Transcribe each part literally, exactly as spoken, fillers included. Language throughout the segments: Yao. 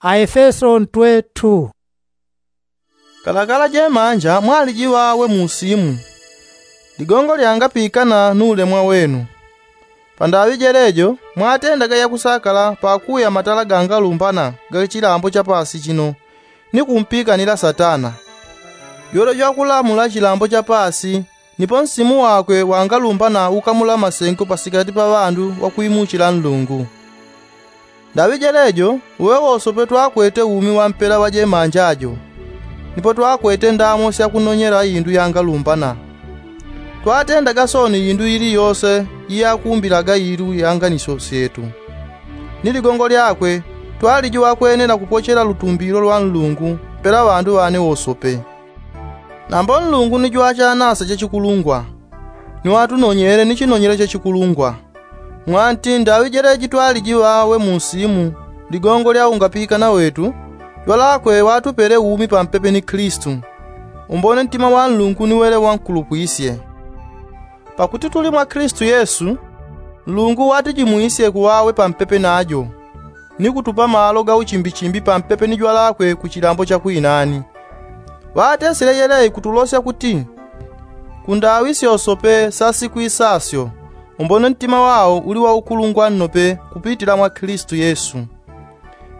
Aefeso ntwe two. Kalakala jemanja mwaliji ŵawe mu usimu, ligongo lyangapikana nu ulemwa wenu. Pandaŵi jelejo mwatendaga yakusakala pakuya matala gangalumbana ga chilambo cha pasi chino, ni kumpikanila satana. Yole jwakulamula chilambo cha pasi, nipo nsimu wakwe wangalumbana ukamula masengo pasikati pa ŵandu ŵakwimuchila nlungu. Ndaŵi jelejo uwe wosope twakwete umi wa mpela wa jemanja jo, nipo twakwete ndamo syakunonyela indu yangalumbana. Twatendaga soni indu ili yose iyakumbilaga ilu ya nganisyo syetu. Ni ligongo lyakwe twaliji wakwenela kupochela lutumbilo lwa nlungu mpela ŵandu ŵane wosope. Nambo nlungu ni jwachanasa chachikulungwa, ni watunonyele ni chinonyelo chachikulungwa. Mwanti ndaŵi jeleji twaliji ŵawe mu usimu, ligongo lya ungapikana wetu, jwalakwe watupele umi pampepe ni klistu. Umbone ntima wa nlungu ni wele wankulupwisye. Pakuti tuli mwa klistu yesu, nlungu watijimwisye kuŵawe pampepe najo, ni kutupa malo ga uchimbichimbi pampepe ni jwalakwe ku chilambo cha kwinani. Ŵatesile yeleyi kutulosya kuti, kundaŵi syosope sa siku isasyo, umbone ntima wao uli waukulungwa nnope kupitila mwa klistu yesu.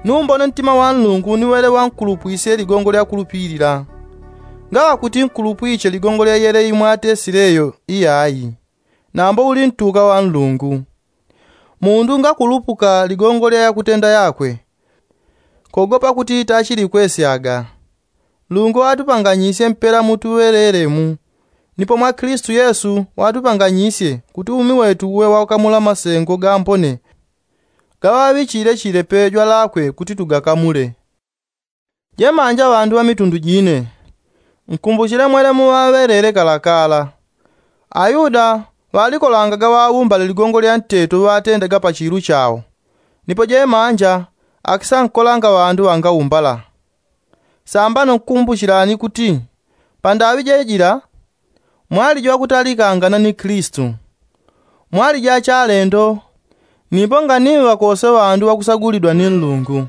Ni umbone ntima wa nlungu ni wele wankulupwisye ligongo lya kulupilila. Ngaŵa kuti nkulupwiche ligongo lya yeleyi mwatesileyo iyayi, nambo uli ntuka wa nlungu. Mundu ngakulupuka ligongo lya yakutenda yakwe, kogopa kuti tachilikwesyaga. Nlungu watupanganyisye mpela mutuŵelele mu, nipo mwa klistu yesu watupanganyisye kuti umi wetu uwe wakamula masengo gambone gaŵaŵichile chile pe jwalakwe kuti tugakamule. Jemanja ŵandu ŵa mitundu jine, nkumbuchile mwele muŵaŵelele kalakala. Ayuda ŵalikolangaga ŵaumbale ligongo lya nteto ŵatendaga pa chilu chao, nipo jemanja akisankolanga ŵandu ŵangaumbala. Sambano nkumbuchilani kuti pandaŵi jejila mwaliji ŵakutalikangana ni klistu. Mwaliji achalendo, nipo nganiŵa kose ŵandu ŵakusagulidwa ni nlungu.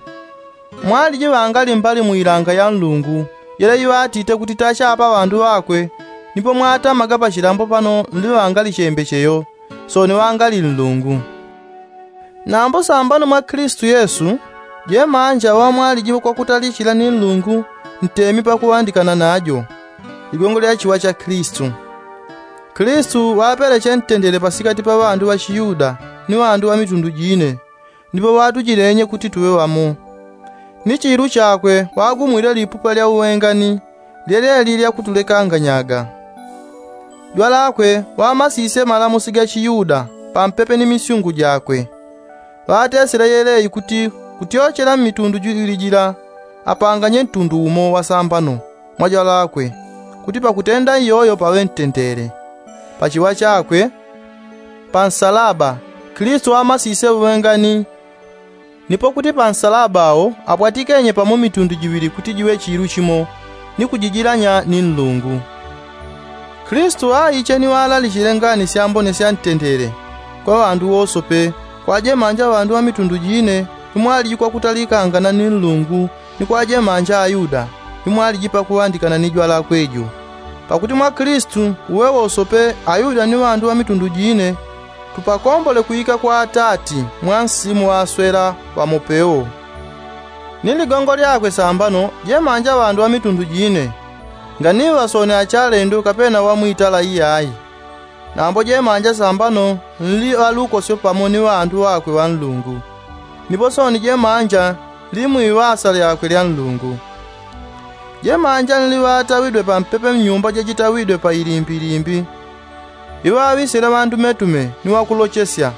Mwaliji ŵangali mbali mu ilanga ya nlungu, yele iŵatite kuti tachapa ŵandu ŵakwe. Nipo mwatamaga pa chilambo pano nli ŵangali chembecheyo, soni ŵangali nlungu. Nambo sambano mwa klistu yesu, jemanja ŵamwaliji kwakutalichila ni nlungu, ntemi pakuŵandikana najo ligongo lya chiwa cha klistu. Klistu ŵapeleche ntendele pasikati pa ŵandu ŵa chiyuda ni ŵandu ŵa mitundu jine, nipo ŵatujilenye kuti tuŵe ŵamo. Ni chilu chakwe ŵagumwile lipupa lya uŵengani, lyeleli lyakutulekanganyaga. Jwalakwe ŵamasisye malamusi ga chiyuda pampepe ni misyungu jakwe. Ŵatesile yeleyi kuti kutyochela mmitundu jiŵili jila, apanganye ntundu umo wasambano mwa jwalakwe, kuti pakutenda iyoyo paŵe ntendele. Pa chiwa chakwe pa nsalaba, klistu ŵamasisye uŵengani, nipo kuti pa nsalaba awo apwatikenye pamo mitundu jiŵili kuti jiŵe chilu chimo, ni kujijilanya ni nlungu. Klistu ŵaiche ni ŵalalichile ngani syambone sya ntendele kwa ŵandu wosope, kwa jemanja ŵandu ŵa mitundu jine, ni mwaliji kwakutalikangana ni nlungu, ni kwa jemanja ayuda, ni mwaliji pakuŵandikana ni jwalakwe jo. Pakuti mwa klistu uwe wosope ayuda ni ŵandu ŵa mitundu jine, tupakombole kwika kwa atati mwa nsimu ŵaswela ŵamopewo. Ni ligongo lyakwe sambano jemanja ŵandu ŵa mitundu jine, nganiŵa soni achalendo kapena ŵa mwitala iyayi. Nambo jemanja sambano nli ŵalukosyo pamo ni ŵandu ŵakwe ŵa nlungu, nipo soni jemanja nli mwiŵasa lyakwe lya nlungu. Jemanja nli ŵatawidwe pampepe mnyumba jajitawidwe pa ilimbilimbi, iŵaŵisile ŵandumetume ni ŵakulochesya.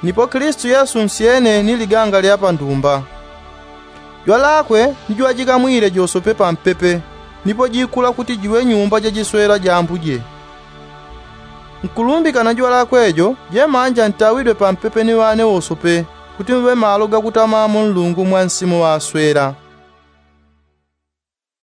Nipo klistu yesu nsyene ni liganga lya pandumba. Jwalakwe ni jwajikamwile josope pampepe, nipo jikula kuti jiŵe nyumba jajiswela ja ambuje. Nkulumbikana jwalakwe jo jemanja ntawidwe pampepe ni ŵane wosope, kuti mve malo gakutamamo nlungu mwa nsimu ŵaswela.